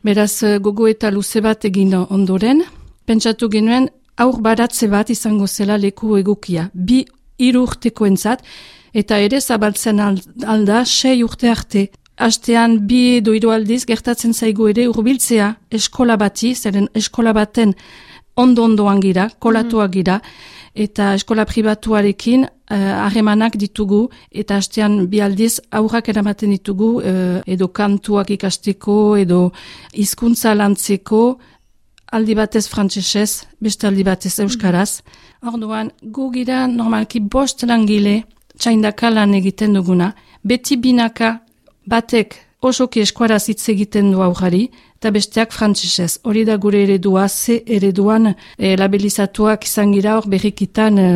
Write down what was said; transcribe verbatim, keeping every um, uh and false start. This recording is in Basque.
Beraz, gogo eta luze bat egin ondoren, pentsatu genuen aur baratze bat izango zela leku egokia. Bi hiru urtekoentzat, eta ere zabaltzen alda sei urte arte. Astean bi edo hiru aldiz gertatzen zaigu ere hurbiltzea eskola bati, zeren eskola baten ondo-ondoan gira, kolatuak gira, eta eskola pribatuarekin harremanak uh, ditugu, eta astean bi aldiz aurrak eramaten ditugu, uh, edo kantuak ikasteko, edo hizkuntza lantzeko, aldi batez frantsesez, beste aldi batez euskaraz. Orduan, gu gira normalki bost langile, txaindaka lan egiten duguna, beti binaka batek osoki eskuaraz hitz egiten du aurrari, eta besteak frantsesez. Hori da gure eredua, ze ereduan e, labelizatuak izan gira hor berrikitan e,